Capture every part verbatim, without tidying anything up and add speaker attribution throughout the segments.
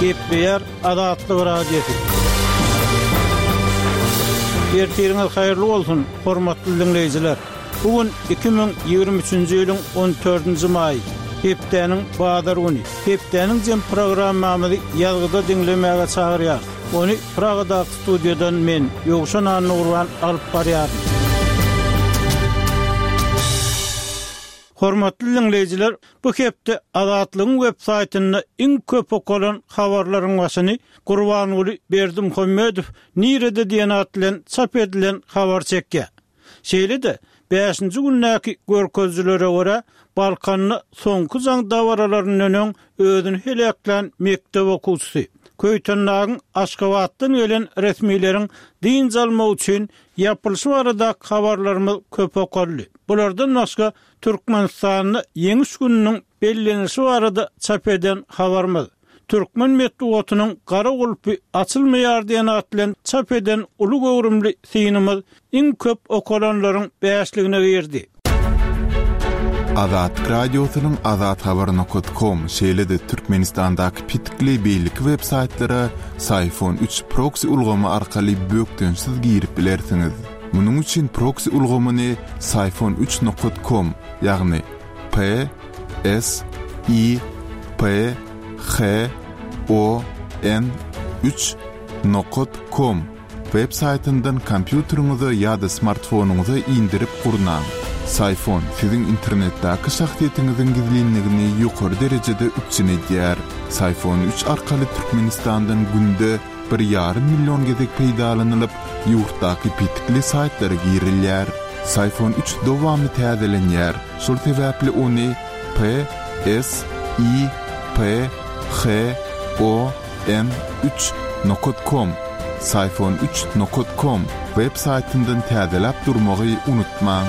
Speaker 1: Gepleýär Azatlyk Radiosy. Ertiriňiz haýyrly bolsun, hormatly diňleýjiler. Bu gün iki müň ýigrimi üçünji ýylyň on dördünji maýy, hepdäniň bazar güni. Hepdäniň jem programmamyzy ýazgyda diňlemäge çagyrýar. Ony Pragadaky studiýadan men, Ýowşan Annagurban alyp barýaryn. Hormatly diňleýjiler, bu hepde Azatlygyň web saýtynda iň köp okalan habarlaryň başyny Gurbanguly Berdimuhamedow nirede diýen at bilen çap edilen habar çekýär. Şeýle-de bäşinji gündäki görkezijilere görä, Balkanda soňky jaň dabaralaryndan öň özüni heläklän mekdep okuwçysy, Köýtendagyň Aşgabatdan gelen resmileriň dynç almak üçin ýapylyşy baradaky habarlarymyz köp okaldy. Bulardan başga Türkmenistanda Ýeňiş gününiň bellenişi barada çap eden habarymyz, Türkmen metbugatynyň gara gulpy açylmaýar diýen at bilen çap eden uly göwrümli synymyz iň köp okalanlaryň bäşligine girdi.
Speaker 2: Azatlyk Radiosynyň azathabar nokta com, şeýle-de Türkmenistandaky petikli beýleki web saýtlara Syfon üç proxy ulgamy arkaly bökdençsiz girip bilersiňiz. Munuň üçin proxy ulgamyny Syfon üç nokta com, ýagny P S I P H O N üç nokta com web saýtyndan kompýuteriňize ýa-da smartfonyňyza indirip gurnaň. Syfon siziň internetdäki şahsyýetiňiziň gizlinligini ýokary derejede üpjün edýär. Syfon üç arkaly Türkmenistandan günde bir ýarym million gezek peýdalanylyp, ýurtdaky petikli saýtlara girilýär. Syfon üç dowamly täzelenýär. Şol sebäpli ony P S I P H O N üç nokta com, Syfon üç nokta com web saýtyndan täzeläp durmagy unutmaň.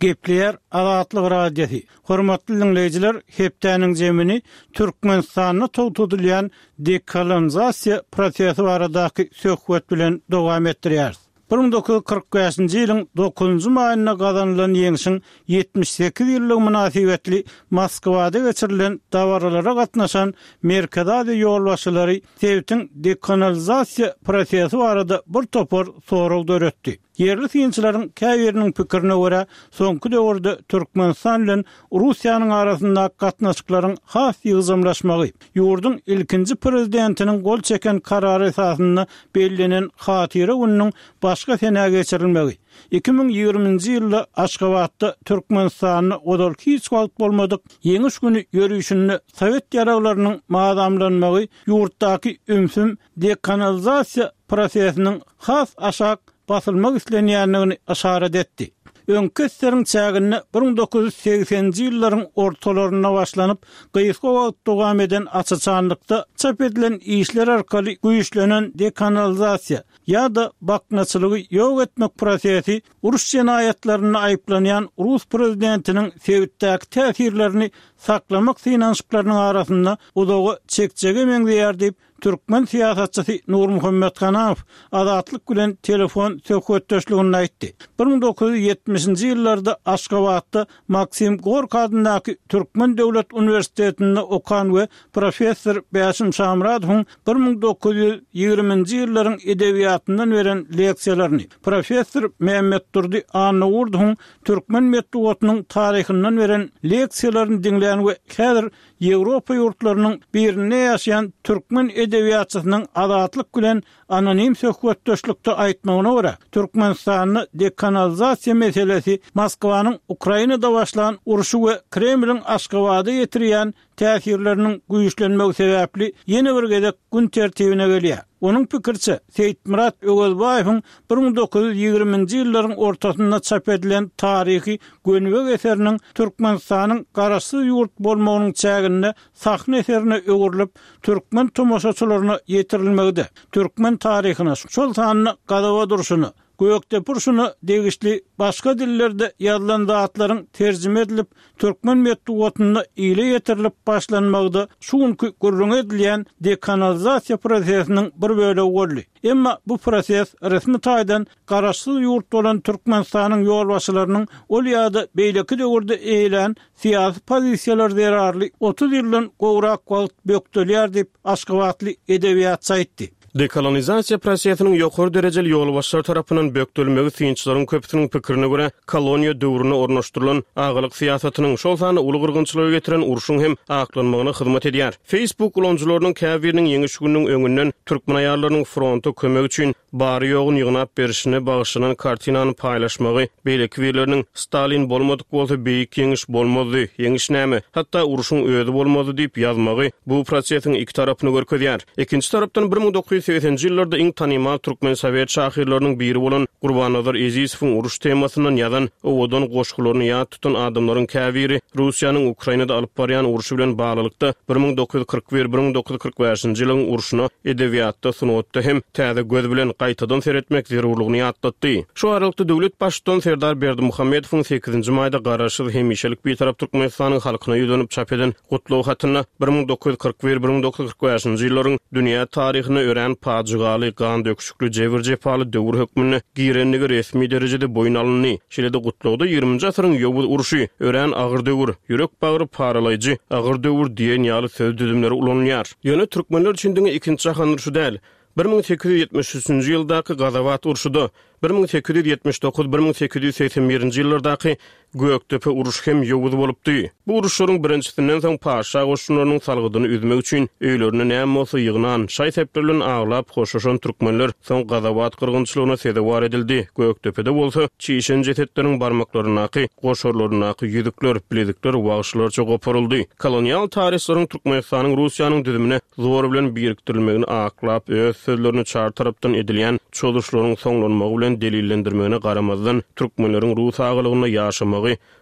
Speaker 1: Gepleýär Azatlyk Radiosy. Hormatly diňleýjiler, hepdäniň jemini Türkmenistanda togtadylýan dekolonizasiýa prosesi baradaky söhbet bilen dowam etdirýäris. Bir müň dokuz ýüz kyrk bäşinji ýylyň dokuzynjy maýynda gazanylan ýeňşiň ýetmiş sekiz ýyllygy mynasybetli Moskwada geçirilen dabaralara gatnaşan Merkezi Aziýa ýolbaşçylary sebitiň dekolonizasiýa prosesi barada bir topar sorag döretdi. Ýerli synçylaryň käbiriniň pikirine görä, soňky döwürde Türkmenistan bilen Russiýanyň arasyndaky gatnaşyklaryň has ýygjamlaşmagy, ýurduň ilkinji prezidentiniň gol çeken karary esasynda bellenen hatyra gününiň başga senä geçirilmegi, iki müň ýigriminji ýylda Aşgabatda Türkmenistanda ozal hiç wagt bolmadyk Ýeňiş güni ýörüşinde Sowet ýaraglarynyň mazamlanmagy ýurtdaky ümsüm dekolonizasiýa prosesiniň has aşak basylmak islenýändigini yşarat etdi. Öňki eseriň çäginde bir müň dokuz ýüz segseninji ýyllaryň ortalarynda başlanyp, gysga wagt dowam eden açaçanlykda çap edilen işler arkaly güýçlenen dekolonizasiýa ýa-da baknaçylygy ýok etmek prosesi uruş jenaýatlarynda aýyplanýan Rus prezidentiniň sebitdäki täsirlerini saklamak synanyşyklarynyň arasynda uzaga çekjege meňzeýär diýip, türkmen syýasatçysy Nurmuhammet Ganamow Azatlyk bilen telefon söhbetdeşliginde aýtdy. Bir müň dokuz ýüz ýetmişinji ýyllarda Aşgabatda Maksim Gorki adyndaky Türkmen döwlet uniwersitetinde okan we professor Bäşim Şamyradowyň bir müň dokuz ýüz ýigriminji ýyllaryň edebiýatyndan beren leksiýalaryny, professor Mehmetdurdy Annagurdowyň türkmen metbugatynyň taryhyndan beren leksiýalaryny diňlän we häzir Ýewropa ýurtlarynyň birinde ýaşaýan türkmen edebiýatçysynyň Azatlyk bilen anonim söhbetdeşlikde aýtmagyna görä, Türkmenistanda dekolonizasiýa meselesi Moskwanyň Ukrainada başlan urşy we Kremliň Aşgabada ýetirýän täsirleriniň güýçlenmegi sebäpli ýene bir gezek gün tertibine gelýär. Onuň pikiriçe, Seýitmyrat Öwezbaýewiň bir müň dokuz ýüz ýigriminji ýyllaryň ortasynda çap edilen taryhy Gönübek eseriniň Türkmenistanyň garaşsyz ýurt bolmagynyň çäginde sahna eserine öwrülip, türkmen tomaşaçylaryna ýetirilmegi-de, türkmen taryhyna, şol sanda gazaba durşuna, Gökdepe urşuna degişli başga dillerde ýazylan zatlaryň terjime edilip, türkmen metbugatynda ile ýetirilip başlanmagy-da şu günki gürrüňi edilýän dekolonizasiýa prosesiniň bir bölegi boldy. Emma bu proses resmi taýdan garaşsyz ýurt bolan Türkmenistanyň ýolbaşçylarynyň ol ýa-da beýleki döwürde eýelän syýasy pozisiýalary zerarly otuz ýyldan gowrak wagt bökdelýär diýip, aşgabatly edebiýatçy aýtdy.
Speaker 3: Dekolonizasiýa prosesiniň ýokary derejeli ýolbaşçylar tarapyndan bökdelmegi synçylaryň köpüsiniň pikirine görä, koloniýa döwründe ornaşdyrylan agalyk syýasatynyň, şol sanda uly gyrgynçylyga getiren urşuň hem aklanmagyna hyzmat edýär. Facebook ulanyjylarynyň käbiriniň ýeňiş gününiň öňünden türkmen aýallarynyň fronta kömek üçin bary-ýoguny ýygnap berişine bagyşlanan kartinany paýlaşmagy, beýleki birleriniň Stalin bolmadyk bolsa beýik ýeňiş bolmazdy, ýeňiş näme, hatda urşuň özi bolmazdy diýip ýazmagy bu prosesiň iki tarapyny görkezýär. Ikinji tarapdan bir müň dokuz ýüz segseninji ýyllarda iň tanymal türkmen sowet şahyrlarynyň biri bolan Gurbannazar Ezizowyň uruş temasyndan ýazan owadan goşgularyny ýat tutan adamlaryň käbiri Russiýanyň Ukrainada alyp barýan urşy bilen baglylykda bir müň dokuz ýüz kyrk bir, bir müň dokuz ýüz kyrk bäşinji ýylyň urşuna edebiýatda, sungatda hem täze göz bilen gaýtadan seretmek zerurlygyny ýatlatdy. Şu aralykda döwlet baştutany Serdar Berdimuhamedowyň sekizinji maýda garaşsyz hemişelik Bitarap Türkmenistanyň halkyna ýüzlenip çap eden gutlag hatynda bir müň dokuz ýüz kyrk bir, bir müň dokuz ýüz kyrk bäşinji ýyllaryň dünýä taryhyna örän pajygaly, gan döküşikli, jebir-jepaly döwür hökmünde girendigi resmi derejede boýun alyndy. Şeýle-de gutlagda ýigriminji asyryň ýowuz urşy, örän agyr döwür, ýürek-bagry paralaýjy agyr döwür diýen ýaly söz düzümleri ulanylýar. Ýöne türkmenler üçin diňe ikinji jahan urşy däl, bir müň sekiz ýüz ýetmiş üçünji ýyldaky Gazawat urşy-da, bir müň sekiz ýüz ýetmiş dokuz, bir müň sekiz ýüz segsen birinji ýyllardaky Gökdepe urşy hem ýowuz bolupdy. Bu uruşlaryň birinjisinden soň paşa goşunlarynyň salgydyny üzmek üçin öýlerine näme bolsa ýygnan, şaý-sepler bilen aglap hoşlaşan türkmenler soň Gazawat gyrgynçylygyna sezewar edildi. Gökdepede bolsa çişen jesetleriň barmaklaryndaky, goşarlaryndaky ýüzükler, bilezikler wagşylarça goparyldy. Kolonial taryhlaryň Türkmenistanyň Russiýanyň düzümine zor bilen birikdirilmegini aklap, öz sözlerini çar tarapdan edilýän çozuşlaryň soňlanmagy bilen delillendirmegine garamazdan, türkmenleriň rus agalygynda ýaşamagy,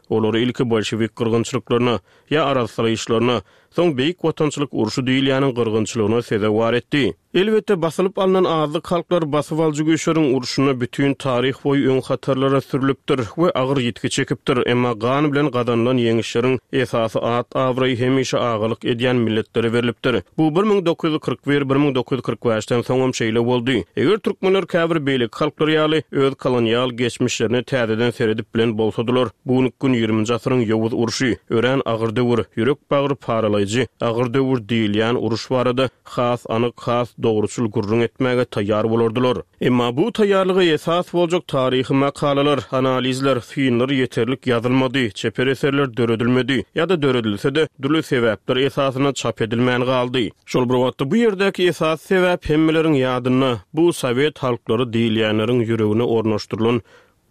Speaker 3: olary ilki bolşewik gyrgynçylyklaryna ýa arassalaýyşlaryna, soň Beýik Watançylyk urşy diýilýäniň gyrgynçylygyna sezewar etdi. Elbetde, basylyp alnan azlyk halklar basyp alyjy güýçleriň urşunda bütin taryh boýy öň hatarlara sürülipdir we agyr ýitgi çekipdir, emma gan bilen gazanylan ýeňişleriň esasy at-abraýy hemişe agalyk edýän milletlere berlipdir. Bu bir müň dokuz ýüz kyrk bir, bir müň dokuz ýüz kyrk bäşden soňam şeýle boldy. Eger türkmenler käbir beýleki halklar ýaly öz kolonial geçmişlerine täzeden seredip bilen bolsadylar, bu günki gün ýigriminji asyryň ýowuz urşy, örän agyr döwür, ýürek-bagry paralaýjy agyr döwür diýilýän uruş barada has anyk, has dogruçyl gürrüň etmäge taýýar bolardylar. Emma bu taýýarlyga esas boljak taryhy makalalar, analizler, synlar ýeterlik ýazylmady, çeper eserler döredilmedi ýa-da döredilse-de dürli sebäpler esasynda çap edilmän galdy. Şol bir wagtda bu ýerdäki esasy sebäp hemmeleriň ýadynda, bu sowet halklary diýilýänleriň ýüregine ornaşdyrylan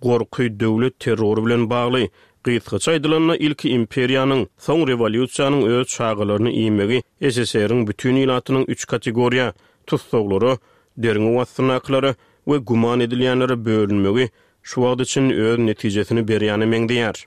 Speaker 3: gorky döwlet terrory bilen bagly. Gysgaça aýdylanda, ilki imperiýanyň, soň rewolýusiýanyň öz çagalaryny iýmegi S S R-iň bütin ilatynyň üç kategoriýa, tussaglara, derňew astyndakylara we güman edilýänlere bölünmegi şu wagt üçin öz netijesini berýäne meňzeýär.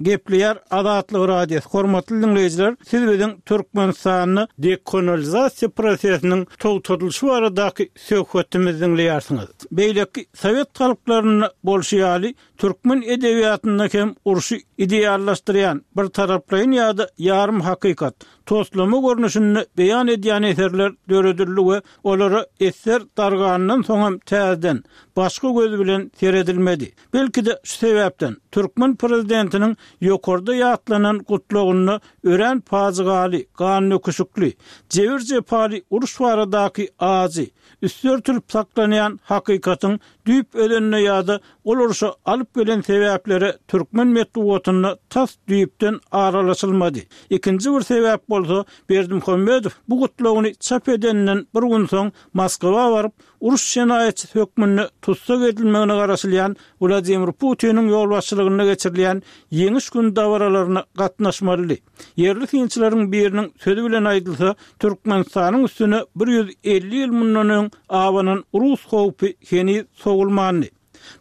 Speaker 1: Gepleýär Azatlyk Radiosy. Hormatly dinleýjiler, siz biziň Türkmenistanda dekolonizasiýa prosesiniň togtadylyşy baradaky söhbetimizi dinleýärsiňiz. Beýleki sowet halklarynda bolşy ýaly türkmen edebiýatynda hem urşy ideallaşdyrýan bir taraplaýyn ýa-da ýarym hakykat toslama görnüşinde beýan edýän eserler döredildi we olara eser dargandan soň hem täzeden başga göz bilen seredilmedi. Belki-de şu sebäpden türkmen prezidentiniň ýokarda ýatlanan gutlagynda örän pajygaly, gan döküşikli, jebir-jepaly uruş baradaky ajy, üstü örtülip saklanýan hakykatyň düýp özenine ýa-da ol urşa alyp gelen sebäplere türkmen metbugatynda tas düýpden aralaşylmady. Ikinji bir sebäp bolsa Berdimuhamedow bu gutlagyny çap edenden bir gün soň Moskwa baryp, uruş jenaýatçysy hökmünde tussag edilmegine garaşylýan Wladimir Putiniň ýolbaşçylygynda geçirilýän ýeňiş gün dabaralaryna gatnaşmalydy. Ýerli synçylaryň biriniň sözi bilen aýdylsa, Türkmenistanyň üstüne bir ýüz elli ýyl mundan öň abanan rus howpy heniz sowulmandy.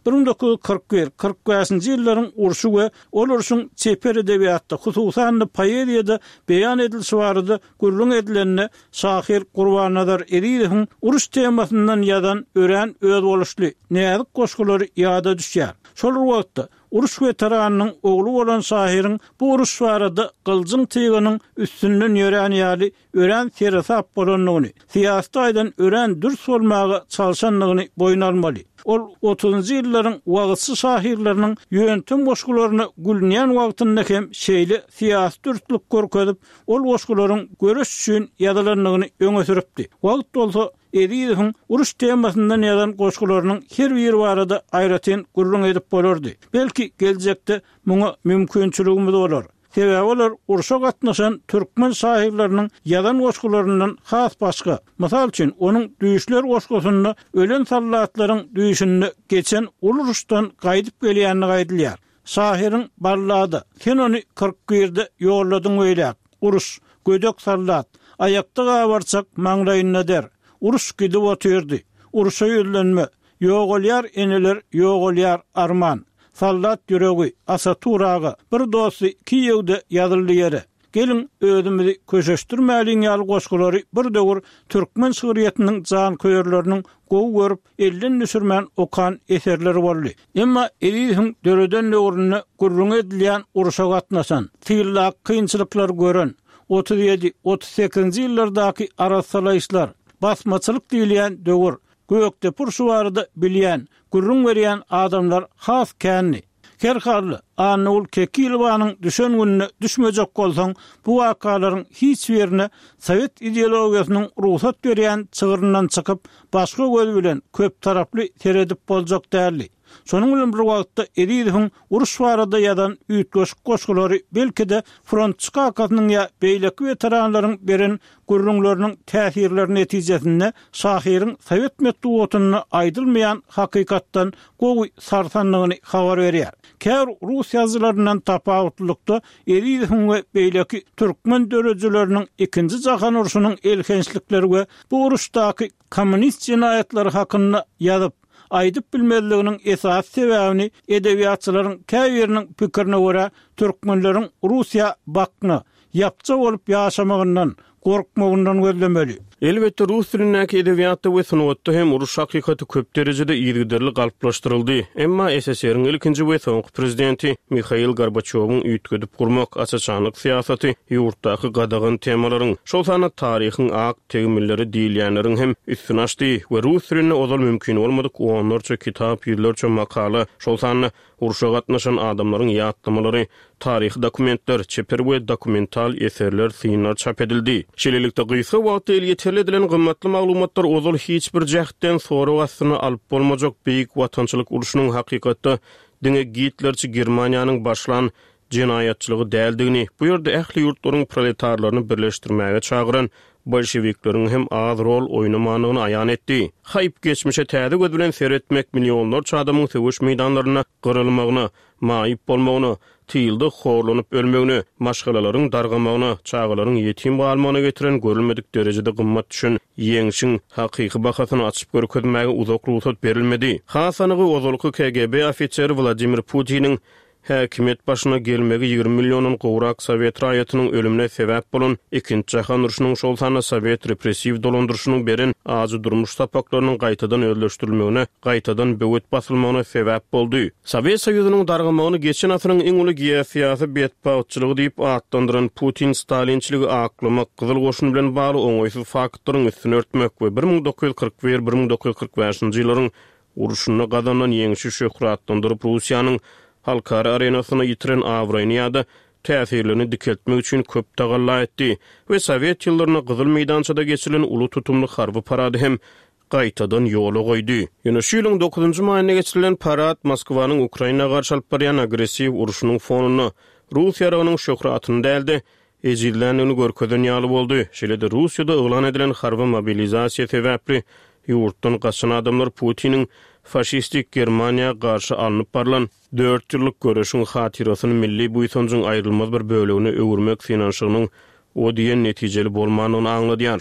Speaker 1: Bir müň dokuz ýüz kyrk bir, kyrk bäşinji ýyllaryň urşy we ol urşuň çeper edebiýatda, hususan-da poeziýada beýan edilişi barada gürrüň edilende şahyr Gurbannazar Ezizowyň uruş temasyndan ýazan örän özboluşly, näzik goşgulary ýada düşýär. Şol bir wagtda uruş weteranynyň ogly bolan şahyryň bu uruş barada gyljyň tygynyň üstünden ýörän ýaly örän seresap bolandygyny, syýasy taýdan örän dürs bolmaga çalşandygyny boýun almaly. Ol otuzynjy ýyllaryň wagyzçy şahyrlarynyň ýöntem goşgularyna gülünýän wagtynda hem şeýle syýasy dürslük görkezip, ol goşgularyň göreş üçin ýazylandygyny öňe sürüpdi. Wagt bolsa Ezizowyň uruş temasyndan ýazan goşgularynyň her biri barada aýratyn gürrüň edip bolardy. Belki geljekde muňa mümkinçiligimiz bolar. Sebäbi olar urşa gatnaşan türkmen şahyrlarynyň ýazan goşgularyndan has başga. Mysal üçin, onuň Düýşler goşgusynda ölen soldatlaryň düýşünde geçen uly uruşdan gaýdyp gelýänini aýdylýar. Şahyryň ballada, sen ony kyrk birde ýolladyň beýläk. Uruş, gödek soldat, aýakda gabarçak maňlaýynda der. Uruş gidip otyrdy. Uruşa ýüzlenme. Ýogalýar eneler, ýogalýar arman. Soldat ýüregi, Asatur aga, bir dosty Kiýewde ýazyldy ýere. Gelin özümizi köşeşdirmäliň ýaly goşgulary bir döwür türkmen şygryýetiniň janköýerleriniň gowy görüp, elden düşürmän okan eserleri boldy. Emma Ezizowyň döreden döwründe gürrüň edilýän uruşa gatnaşan, tyllak kynçylyklar gören, otuz ýedi, otuz sekizinji ýyllardaky arassalaýyşlar, basmaçylyk diýilýän döwür, Gökdepe urşy barada bilýän, gürrüň berýän adamlar has kändi. Her halda Annagül Kekilowanyň düşen gününe düşmejek bolsaň, bu wakalaryň hiç birine sowet ideologiýasynyň rugsat berýän çygryndan çykyp, başga göz bilen köptaraply seredip boljak däldi. Şonuň bilen bir wagtda Ezizowyň uruş barada ýazan üýtgeşik goşgulary belki-de frontçy kakasynyň ýa beýleki weteranlaryň beren gürrüňleriniň täsirleri netijesinde şahyryň sowet metbugatynda aýdylmaýan hakykatdan gowy sarsandygyny habar berýär. Käbir rus ýazyjylaryndan tapawutlylykda Ezizowyň we beýleki türkmen döredijileriniň ikinji jahan urşunyň elhençlikleri we bu uruşdaky kommunist jenaýatlary hakynda ýazyp, aýdyp bilmezliginiň esasy sebäbini edebiýatçylaryň käbiriniň pikirine görä türkmenleriň Russiýa bakna, ýapja bolup ýaşamagyndan, gorkmagyndan gözlemeli.
Speaker 3: Elbetde rus dilindäki edebiýatda we sungatda hem uruş hakykaty köp derejede yzygiderli galplaşdyryldy. Emma S S R-iň ilkinji we soňky prezidenti Mihail Gorbaçýowyň üýtgedip gurmak aç-açanlyk syýasaty ýurtdaky gadagan temalaryň, şol sanda taryhyň ak tegmilleri diýilýänleriň hem üstüni açdy we rus dilinde ozal mümkin bolmadyk onlarça kitap, ýüzlerçe makala, şol sanda urşa gatnaşan adamlaryň ýatlamalary, taryhy dokumentler, çeper we dokumental eserler, synlar çap edildi. Şeýlelikde gysga wagtda elýeterli edilen gymmatly maglumatlar ozal hiç bir jähtden sorag astyna alyp bolmajak Beýik Watançylyk urşunyň hakykatda diňe Gitlerçi Germaniýanyň başlan jenaýatçylygy däldigini, bu ýerde ähli ýurtlaryň proletarlaryny birleşdirmäge çagyran bolşewikleriň hem az rol oýnamandygyny aýan etdi. Haýp geçmişe täze göz bilen seretmek millionlarça adamyň söweş meýdanlarynda gyrylmagyna, maýyp bolmagyna, tylda horlanyp ölmegine, maşgalalaryň dargamagyna, çagalaryň ýetim galmagyna getiren görülmedik derejede gymmat düşen ýeňşiň hakyky bahasyny açyp görkezmäge uzak rugsat berilmedi. Has anygy ozalky K G B ofiseri Wladimir Putiniň häkimiýet başyna gelmegi ýigrimi milliondan gowrak sowet raýatynyň ölümine sebäp bolan ikinji jahan urşunyň şol sanda sowet repressiw dolandyryşynyň beren ajy durmuş sapaklarynyň gaýtadan özleşdirilmegine, gaýtadan böwet basylmagyna sebäp boldy. Sowet Soýuzynyň dargamagyny geçen asyryň iň uly geosyýasy betbagtçylygy diýip atlandyran Putin stalinçiligi aklamak, Gyzyl goşun bilen bagly oňaýsyz faktlaryň üstüni örtmek we bir müň dokuz ýüz kyrk bir, bir müň dokuz ýüz kyrk bäşinji ýyllaryň urşunda gazanan ýeňşi şöhratlandyryp Russiýanyň halkara arenasyna ýitiren abraýyny ýa-da täsirlerini dikeltmek üçin köp tagalla etdi we Sowet ýyllarynda Gyzyl meýdançada geçirilen uly tutumly harby parady hem gaýtadan ýola goýdy. Ýöne şu ýylyň dokuzynjy maýynda geçirilen parad Moskwanyň Ukraina garşy alyp barýan agressiw urşunyň fonunda Rus ýaragynyň şöhratyny däl-de ejizländigini görkezen ýaly boldy. Şeýle-de Russiýada yglan edilen harby mobilizasiýa sebäpli ýurtdan gaçan adamlar Putiniň faşistik Germaniýa garşy alnyp barlan dört ýyllyk göreşiň hatyrasyny milli buýsanjyň aýrylmaz bir bölegine öwürmek synanyşygynyň o diýen netijeli bolmandygyny aňladýar.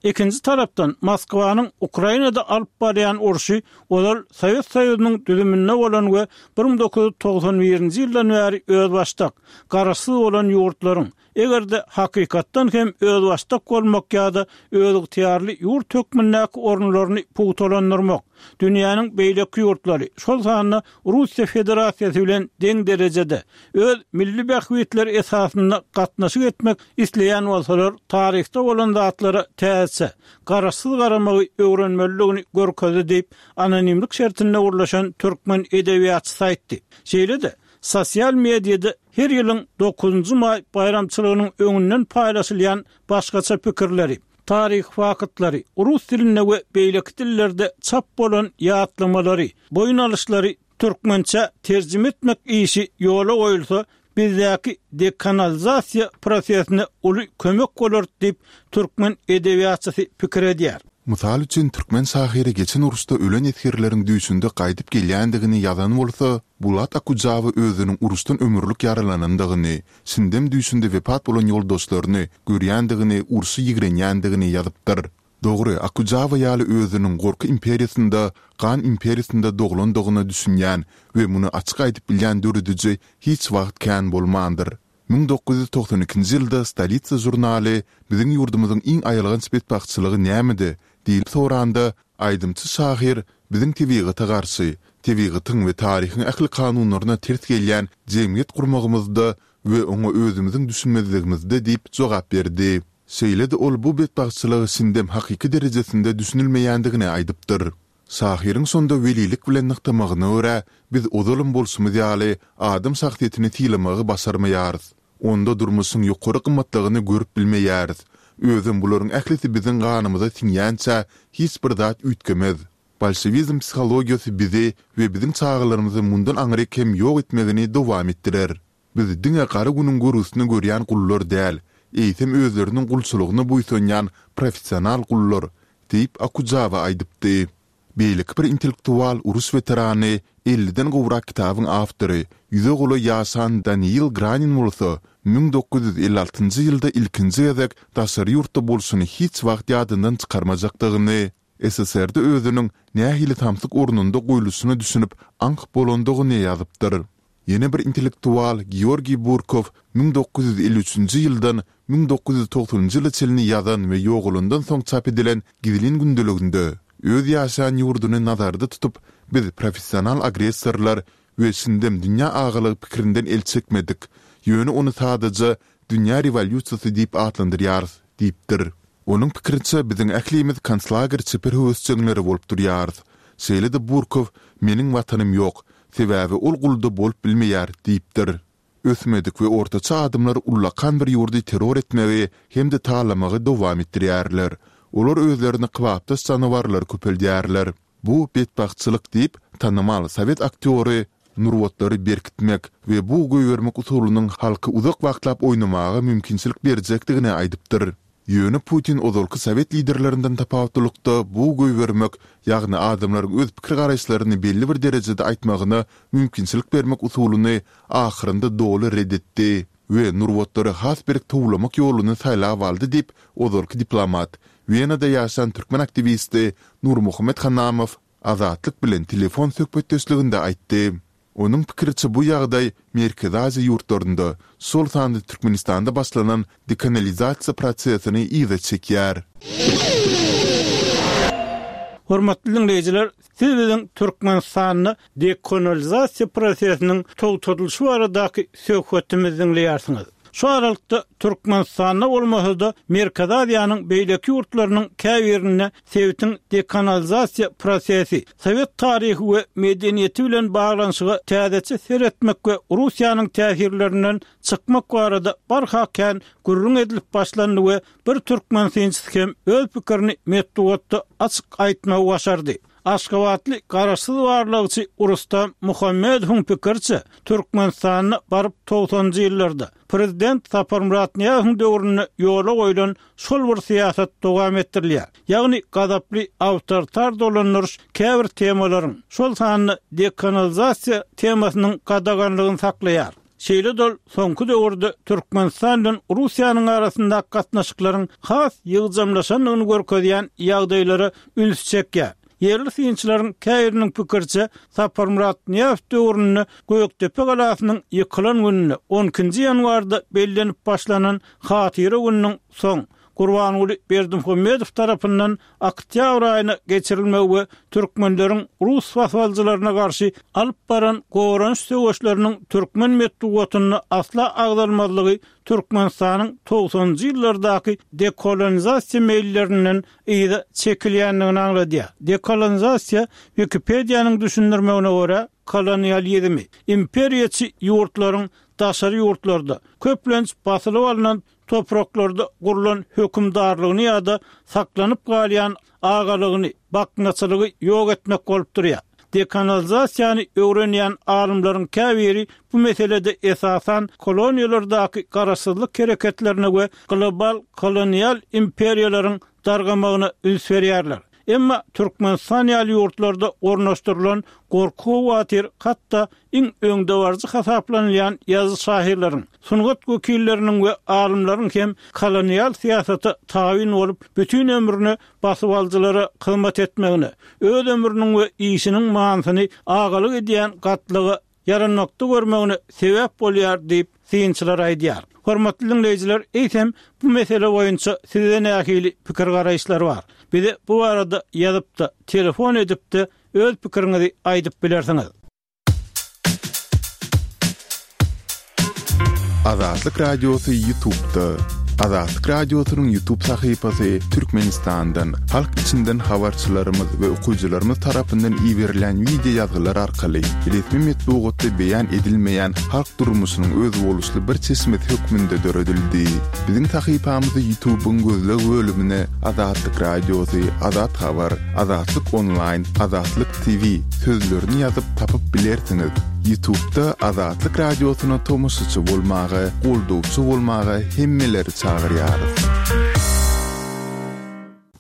Speaker 1: Ikinji tarapdan Moskwanyň Ukrainada alyp barýan urşy ozal Sowet Soýuzynyň düzüminde bolan we bir müň dokuz ýüz togsan birinji ýyldan bäri özbaşdak, garaşsyz bolan ýurtlaryň, eger-de hakykatdan hem özbaşdak bolmak ýa-da özygtyýarly ýurt hökmündäki orunlaryny pugtalandyrmak, dünýäniň beýleki ýurtlary, şol sanda Russiýa Federasiýasy bilen deň derejede, öz milli bähbitleri esasynda gatnaşyk etmek isleýän bolsalar, taryhda bolan zatlara täzeçe, garaşsyz garamagy öwrenmelidigini görkezdi diýip, anonimlik şertinde gürleşen türkmen edebiýatçysy aýtdy. Şeýle-de, sosial mediada her ýylyň dokuzynjy maý baýramçylygynyň öňünden paýlaşylýan başgaça pikirleri, taryhy faktlary, rus dilinde we beýleki dillerde çap bolan ýatlamalary, boýun alyşlary türkmençä terjime etmek işi ýola goýulsa, bizdäki dekanalizasiýa prosesine uly kömek bolar diýip, türkmen edebiýatçysy pikir edýär.
Speaker 2: Mysal üçin, türkmen şahyry geçen uruşda ölen esgerleriň düýşünde gaýdyp gelýändigini ýazan bolsa, Bulat Okujawa özüniň uruşdan ömürlik ýaralanandygyny, şindem düýşünde wepat bolan ýoldaşlaryny görýändigini, urşy ýigrenýändigini ýazypdyr. Dogry, Okujawa ýaly özüniň gorky imperiýasynda, gan imperiýasynda doglandygyna düşünýän we muny açyk aýdyp bilýän dörediji hiç wagt kän bolmandyr. Müň dokuz ýüz togsan ikinji ýylda Stolitsa žurnaly Biziň ýurdumyzyň iň aýylganç betbagtçylygy nämede? diýlip soranda, aýdymçy şahyr Biziň tebigata garşy, tebigatyň we taryhyň ähli kanunlaryna ters gelýän jemgyýet gurmagymyzda we oňa özümiziň düşünmezligimizde diýip jogap berdi. Şeýle-de ol bu betbagtçylyga şindem hakyky derejesinde düşünilmeýändigini aýdypdyr. Şahyryň şonda welilik bilen nygtamagyna görä, biz ozalam bolşumyz ýaly adam şahsyýetini sylamagy başarmaýarys. Onda durmuşyň ýokary gymmatlygyny görüp bilmeýäris. Özem bularyň ählisi biziň ganymyza siňýänçä hiç bir zat üýtgemez. Bolşewizm psihologiýasy bizi we biziň çagalarymyzy mundan aňryk hem ýok etmegini dowam etdirer. Biz diňe gara günüň görgüsini görýän gullar däl, eýsem özleriniň gulçulygyna buýsanýan professional gullar, diýip, Okujawa aýdypdy. Beýleki bir intellektual uruş weterany, elliden gowrak kitabyň awtory, ýüze golaý ýaşan Daniil Granin bolsa, müň dokuz ýüz elli altynjy ýylda ilkinji gezek daşary ýurtda bolşuny hiç wagt ýadyndan çykarmajakdygyny, S S R-de özüniň nähili samsyk ornunda goýluşyna düşünip aňk bolandygyny ýazypdyr. Ýene bir intellektual Georgiý Burkow müň dokuz ýüz elli üçünji ýyldan müň dokuz ýüz togsanynjy ýyla çenli ýazan we ýogalandan soň çap edilen gizlin gündeliginde öz ýaşaýan ýurduny nazarda tutup, biz professional agressorlar we şindem dünýä agalygy pikirinden el çekmedik, ýöne ony sadaja dünýä rewolýusiýasy diýip atlandyrýarys diýipdir. Onuň pikiriçe, biziň ählimiz konslager çeper höwesjeňleri bolup durýarys. Şeýle-de Burkow Meniň watanym ýok, sebäbi ol gulda bolup bilmeýär diýipdir. Ösmedik we ortaça adamlar ullakan bir ýurdy terror etmegi hem-de talamagy dowam etdirýärler. Olar özlerine kybapdaş janawarlary köpeldýärler. Bu betbagtçylyk diýip, tanymal sowet aktýory nurbatlary berkitmek we bug goýbermek usulynyň halky uzak wagtlap oýnamaga mümkinçilik berjekdigini aýdypdyr. Ýöne Putin ozalky sowet liderlerinden tapawutlylykda bug goýbermek, ýagny adamlaryň öz pikir-garaýyşlaryny belli bir derejede aýtmagyna mümkinçilik bermek usulyny ahyrynda doly ret etdi we nurbatlary has berk towlamak ýoluny saýlap aldy diýip, ozalky diplomat, Wenada ýaşan türkmen aktiwisti Nurmuhammet Hanamow Azatlyk bilen telefon söhbetdeşliginde aýtdy. Onuň pikiriçe, bu ýagdaý Merkezi Aziýa ýurtlarynda, şol sanda Türkmenistanda başlanan dekanalizasiýa prosesini yza çekýär.
Speaker 1: Hormatly diňleýjiler, siz biziň Türkmenistanda dekolonizasiýa prosesiniň togtadylyşy baradaky söhbetimizi diňleýärsiňiz. Şu aralykda Türkmenistanda bolmasa-da Merkezi Aziýanyň beýleki ýurtlarynyň käbirinde sebitiň dekanalizasiýa prosesi, sowet taryhy we medeniýeti bilen baglanyşyga täzeçe seretmek we Russiýanyň täsirlerinden çykmak barada barha kän gürrüň edilip başlandy we bir türkmen synçysy hem öz pikirini metbugatda açyk aýtmagy başardy. Aşgabatly garaşsyz barlagçy Rustam Muhammedowyň pikiriçe, Türkmenistanda baryp togsanynjy ýyllarda, prezident Saparmyrat Nyýazowyň döwründe ýola goýlan şol bir syýasat dowam etdirilýär. Ýagny gazaply awtoritar dolandyryş käbir temalaryň, şol sanda dekanalizasiýa temasynyň gadaganlygyny saklaýar. Şeýle-de ol soňky döwürde Türkmenistan bilen Russiýanyň arasyndaky gatnaşyklaryň has ýygjamlaşandygyny görkezýän ýagdaýlara üns çekýär. Ýerli synçylaryň käbiriniň pikiriçe, Saparmyrat Nyýazow döwründe Gökdepe galasynyň ýykylan gününe, on ikinji ýanwarda bellenip başlanan Hatyra gününiň soň, Gurbanguly Berdimuhamedow tarapyndan oktýabr aýyna geçirilmegi we türkmenleriň rus basybalyjylaryna garşy alyp baran goranyş söweşleriniň türkmen metbugatynda asla agzalmazlygy Türkmenistanyň togsanynjy ýyllardaky dekolonizasiýa meýillerinden yza çekilýändigini aňladýar. Dekolonizasiýa, Wikipediýanyň düşündirmegine görä, kolonializmi, imperiýaçy ýurtlaryň daşary ýurtlarda, köplenç basylyp alnan topraklarda gurlan hökümdarlygyny ýa-da saklanyp galýan agalygyny, baknaçylygy ýok etmek bolup durýar. Dekolonizasiýany öwrenýän alymlaryň käbiri bu meselede esasan koloniýalardaky garaşsyzlyk hereketlerine we global kolonial imperiýalaryň dargamagyna üns berýärler. Emma Türkmenistan ýaly ýurtlarda ornaşdyrylan gorky-howatyr hatda iň öňdebaryjy hasaplanylýan ýazyjy-şahyrlaryň, sungat wekilleriniň we alymlaryň hem kolonial syýasata tabyn bolup, bütin ömrüne basybalyjylara hyzmat etmegine, öz ömrüniň we işiniň manysyny agalyk edýän gatlaga ýaranmakda görmegine sebäp bolýar diýip, synçylar aýdýar. Hormatly diňleýjiler, eýsem, bu mesele boýunça sizde nähili pikir-garaýyşlar bar? Bize bu barada ýazyp-da, telefon edip-de öz pikiriňizi aýdyp bilersiňiz.
Speaker 2: Azatlyk Radiosy YouTube'da. Azatlyk Radiosynyň YouTube sahypasy Türkmenistandan, halk içinden habarçylarymyz we okyjylarymyz tarapyndan iberilen wideo ýazgylar arkaly resmi metbugatda beýan edilmeýän halk durmuşynyň özboluşly bir çeşmesi hökmünde döredildi. Biziň sahypamyzy YouTube'yň gözleg bölümine Azatlyk Radiosy, Azat Habar, Azatlyk Online, Azatlyk T V sözlerini ýazyp tapyp bilersiňiz. YouTube'da Azatlyk Radiosyna tomaşaçy bolmaga, goldawçy bolmaga hemmeleri çagyrýarys.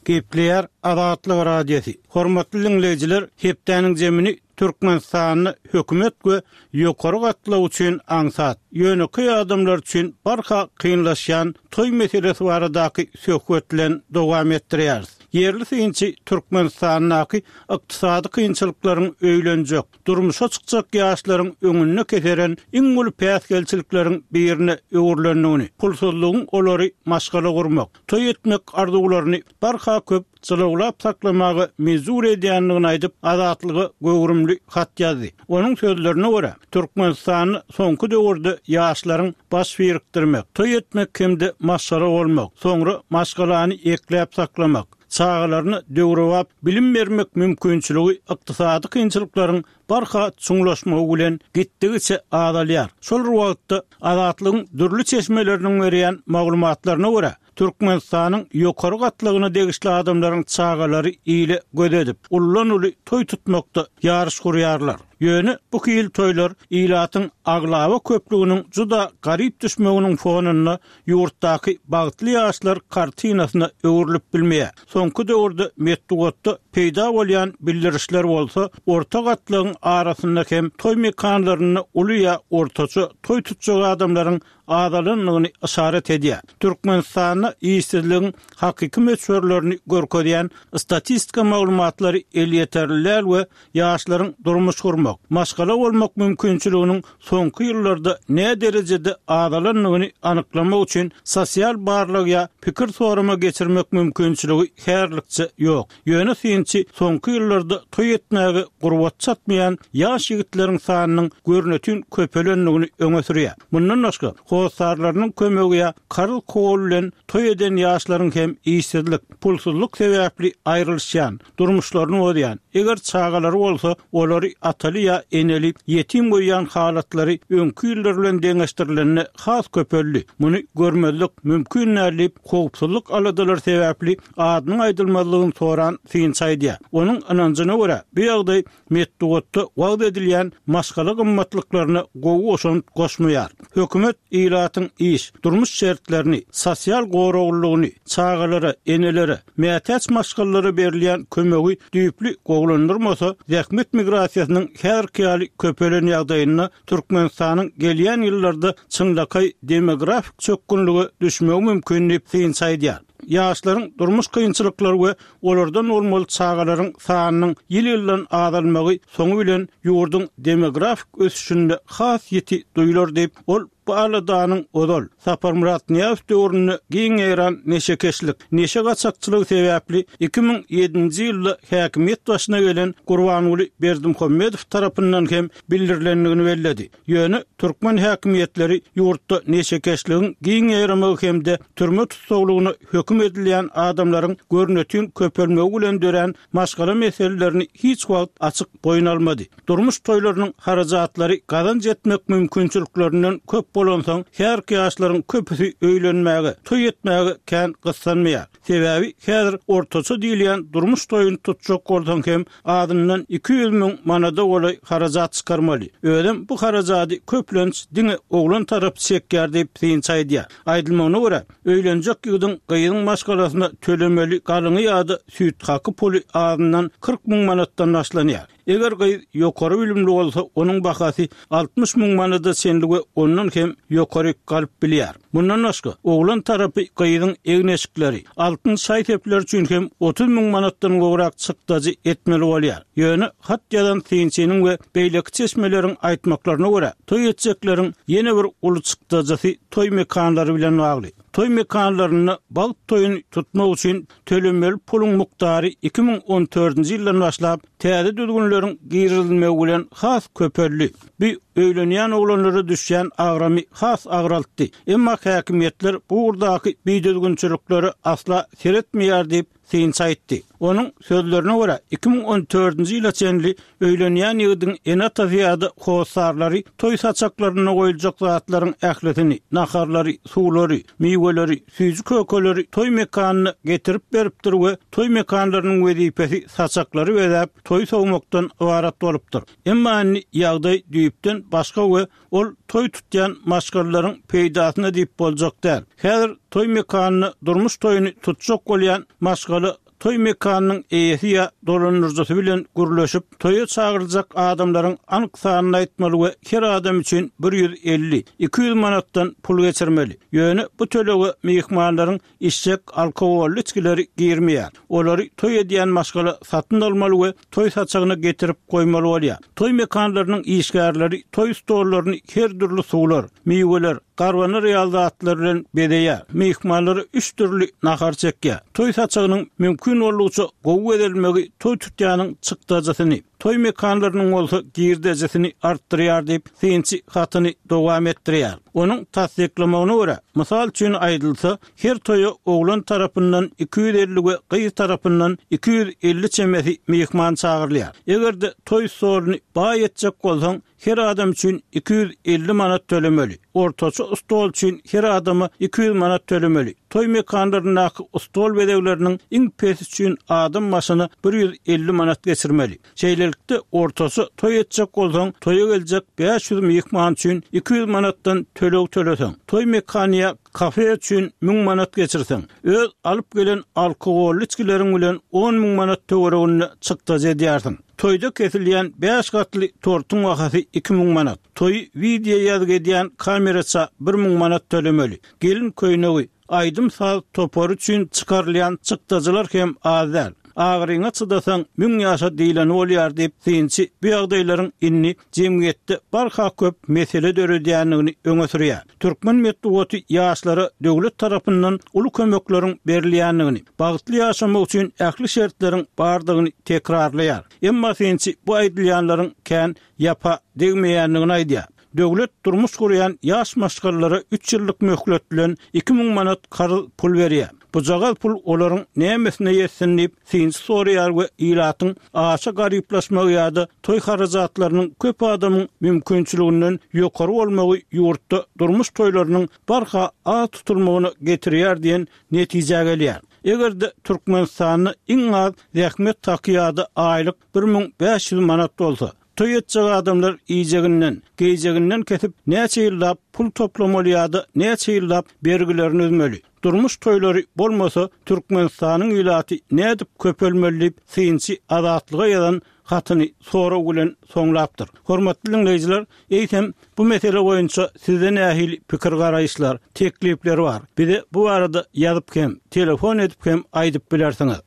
Speaker 1: Gepleýär Azatlyk Radiosy. Hormatly dinleýjiler, hepdäniň jemini Türkmenistanda hökümet we ýokary gatlaw üçin aňsat, ýönekeý adamlar üçin barha kynlaşýan toý meselesi baradaky söhbet bilen dowam etdirýäris. Ýerli synçy Türkmenistandaky ykdysady kynçylyklaryň öýlenjek, durmuşa çykjak ýaşlaryň öňünde keseren iň uly päsgelçilikleriň birine öwrülendigini, pulsuzlygyň olary maşgala gurmak, toý etmek arzuwlaryny barha köp çylawlap saklamaga mejbur edýändigini aýdyp, Azatlyga göwrümli hat ýazdy. Onuň sözlerine görä, Türkmenistanda soňky döwürde ýaşlaryň baş birikdirmek, toý etmek hem-de maşgala bolmak, soňra maşgalany ekläp saklamak, çagalaryna döwrebap bilim bermek mümkinçiligi ykdysady kynçylyklaryň barha çuňlaşmagy bilen gitdigiçe azalýar. Şol wagtda Azatlygyň dürli çeşmeleriniň berýän maglumatlaryna görä, Türkmenistanyň ýokary gatlagyna degişli adamlaryň çagalary ile göz edip, ullan-uly toý tutmakda ýaryş gurýarlar. Ýöne bu hil toýlar ilatyň aglaba köplüginiň juda garyp düşmeginiň fonunda ýurtdaky bagtly ýaşlar kartinasyna öwrülip bilmeýär. Soňky döwürde metbugatda peýda bolýan bildirişler bolsa, orta gatlagyň arasynda hem toý mekanlarynda uly ýa ortaça toý tutjak adamlaryň azalandygyny yşarat edýär. Türkmenistanda işsizligiň hakyky möçberlerini görkezýän statistika maglumatlary elýeterli däl we ýaşlaryň durmuş gurmak, maşgala bolmak mümkinçiliginiň soňky ýyllarda nä derejede azalandygyny anyklamak üçin sosial barlag ýa pikir sorama geçirmek mümkinçiligi härlikçe ýok. Ýöne synçy soňky ýyllarda toý etmäge gurbat çatmaýan ýaş ýigitleriň sanynyň görnütün köpelendigini öňe sürýär. Mundan başga, hossarlarynyň kömegi ýa karz kol bilen toý eden ýaşlaryň hem işsizlik, pulsuzlyk sebäpli aýrylyşýan, durmuşlaryny bozýan, eger çagalary bolsa, olary ataly ýa eneli ýetim goýýan halatlary öňki ýyllar bilen deňeşdirilende has köpeldi. Muny görmezlik mümkin däl diýip, howpsuzlyk aladalary sebäpli adynyň aýdylmazlygyny soran synçy aýdýar. Onuň ynanjyna görä, bu ýagdaý metbugatda wagyz edilýän maşgala gymmatlyklaryna gowy goşant goşmaýar. Hökümet ilatyň iş, durmuş şertlerini, sosial goraglylygyny, çagalara, enelere, mätäç maşgalalara berilýän kömegi düýpli gowulandyrmasa, zähmet migrasiýasynyň häzirki ýaly köpelen ýagdaýynda Türkmenistanyň gelýän ýyllarda çynlakaý demografik çökgünlige düşmegi mümkin diýip synçy aýdýar. Ýaşlaryň durmuş kynçylyklary we olardan bolmaly çagalaryň sanynyň ýyl-ýyldan azalmagy soňy bilen ýurduň demografik ösüşinde has ýiti duýular diýip, ol bu aladanyň ozal Saparmyrat Nyýazow döwründe giň ýaýran neşekeşlik, neşe gaçakçylygy sebäpli iki müň ýedinji ýylda häkimiýet başyna gelen Gurbanguly Berdimuhamedow tarapyndan hem bildirilendigini belledi. Ýöne türkmen häkimiýetleri ýurtda neşekeşligiň giň ýaýramagy hem-de türme tussaglygyna höküm edilýän adamlaryň görnetin köpelmegi bilen dörän maşgala meselelerini hiç wagt açyk boýun almady. Durmuş toýlarynyň harajatlary gazanç etmek mümkinçiliklerinden köp bolansoň, häzirki ýaşlaryň köpüsi öýlenmäge, toý etmäge kän gyssanmaýar. Sebäbi häzir ortaça diýilýän durmuş toýuny tutjak bolsaň hem azyndan iki ýüz müň manada golaý harajat çykarmaly. Özem bu harajady köplenç diňe oglan tarapy çekýär diýip synçy aýdýar. Aýdylmagyna görä, öýlenjek ýigidiň gyzyň maşgalasyna tölemeli galyňy ýa-da süýt haky puly azyndan kyrk müň manatdan başlanýar. Eger gyz ýokary bilimli bolsa, onuň bahasy altmyş müň manada çenli we ondan hem ýokary galyp bilýär. Mundan başga, oglan tarapy gyzyň egin-eşikleri, altyn şaý-sepleri üçin hem otuz müň manatdan gowrak çykdajy etmeli bolýar. Ýöne hat ýazan synçynyň we beýleki çeşmeleriň aýtmaklaryna görä, toý etjekleriň ýene bir uly çykdajysy toý mekanlary bilen bagly. Toý mekanlarynda bagt toýuny tutmak üçin tölemeli puluň mukdary iki müň on dördünji ýyldan başlap täze düzgünleriň girizilmegi bilen has köpeldi. Bu öýlenýän oglanlara düşýän agramy has agraltdy. Emma häkimiýetler bu ugurdaky bidüzgünçiliklere asla seretmeýär diýip synçy aýtdy. Onuň sözlerine görä, iki müň on dördünji ýyla çenli öýlenýän ýigidiň ene-atasy ýa-da hossarlary toý saçaklarynda goýuljak zatlaryň ählisini, naharlary, suwlary, miweleri, süýji kökeleri toý mekanyna getirip beripdir we toý mekanlarynyň wezipesi saçaklary bezäp, toý sowmakdan ybarat bolupdyr. Emma indi ýagdaý düýpden başga we ol toý tutýan maşgalalaryň peýdasyna diýip boljak däl. Häzir toý mekanyna durmuş toýuny tutjak bolýan maşgala toý mekanynyň eýesi ýa dolandyryjysy bilen gürleşip, toýa çagyryljak adamlaryň anyk sanyny aýtmaly we her adam üçin bir ýüz elli, iki ýüz manatdan pul geçirmeli. Ýöne bu tölege myhmanlaryň içjek alkogolly içgileri girmeýär. Olary toý edýän maşgala satyn almaly we toý saçagyna getirip goýmaly bolýar. Toý mekanlarynyň işgärleri toý stollaryny her dürli suwlar, miweler, garbanar ýaly zatlar bilen bezeýär. Myhmanlara üç dürli nahar çekýär. Toý saçagynyň mümkin boldugyça gowy bezelmegi toý tutýanyň çykdajysyny, toý mekanlarynyň bolsa girdejisini artdyrýar diýip, synçy hatyny dowam etdirýär. Onuň tassyklamagyna görä, mysal üçin aýdylsa, her toýa oglan tarapyndan iki ýüz elli we gyz tarapyndan iki ýüz elli çemesi myhman çagyrylýar. Eger-de toý stoluny baý etjek bolsaň, her adam üçin iki ýüz elli manat tölemeli. Ortaça stol üçin her adama iki ýüz manat tölemeli. Toý mekanlaryndaky stol bezegleriniň iň pesi üçin adam başyna bir ýüz elli manat geçirmeli. Şeýlelikde, ortaça toý etjek bolsaň, toýa geljek bäş ýüz myhman üçin iki ýüz manatdan töleg töleseň, toý mekany ýa kafe üçin müň manat geçirseň, öz alyp gelen alkogolly içgileriň bilen on müň manat töwereginde çykdajy edýärsiň. Toýda kesilýän bäş gatly tortuň bahasy iki müň manat. Toýy wideo ýazgy edýän kameraça bir müň manat tölemeli. Gelin köýnegi, aýdym-saz topary üçin çykarylýan çykdajylar hem az däl. Agyryňa çydasaň müň ýaşa diýleni bolýar diýip, synçy bu ýagdaýlaryň indi jemgyýetde barha köp mesele döredýändigini öňe sürýär. Türkmen metbugaty ýaşlara döwlet tarapyndan uly kömekleriň berilýändigini, bagtly ýaşamak üçin ähli şertleriň bardygyny tekrarlaýar. Emma synçy bu aýdylýanlaryň kän ýapa degmeýändigini aýdýar. Döwlet durmuş gurýan ýaş maşgalalara üç ýyllyk möhlet bilen iki müň manat karz pul berýär. Bujagaz pul olaryň nämesine ýetsin diýip, synçy soraýar we ilatyň aşa garyplaşmagy ýa-da toý harajatlarynyň köp adamyň mümkinçiliginden ýokary bolmagy ýurtda durmuş toýlarynyň barha az tutulmagyna getirýär diýen netijä gelýär. Eger-de Türkmenistanda iň az zähmet haky ýa-da aýlyk bir müň bäş ýüz manat bolsa, toý etjek adamlar iýjeginden, geýjeginden kesip näçe ýyllap pul toplamaly ýa-da näçe ýyllap bergilerini üzmeli. Durmuş toýlary bolmasa, Türkmenistanyň ilaty nädip köpelmeli diýip, synçy Azatlyga ýazan hatyny sorag bilen soňlapdyr. Hormatly diňleýjiler, eýsem bu mesele boýunça sizde nähili pikir-garaýyşlar, teklipler bar? Bize bu barada ýazyp hem, telefon edip hem aýdyp bilersiňiz.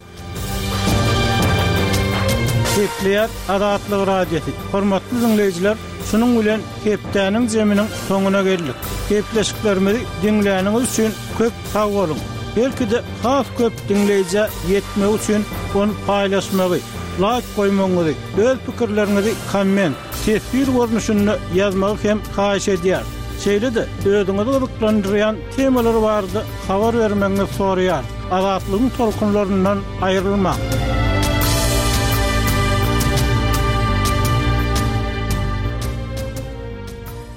Speaker 1: Gepleýär Azatlyk Radiosy. Hormatly diňleýjiler, şunuň bilen hepdäniň zeminiň soňuna geldik. Gepleşiklerimizi diňläniňiz üçin köp sag boluň. Belki-de has köp diňleýjä ýetmegi üçin ony paýlaşmagy, laýk goýmagyňyzy, öz pikirleriňizi komment, teswir görnüşinde ýazmagy hem haýyş edýär. Şeýle-de özüňizi gyzyklandyrýan temalar barada habar bermegiňizi soraýar. Azatlygyň tolkunlaryndan aýrylmaň.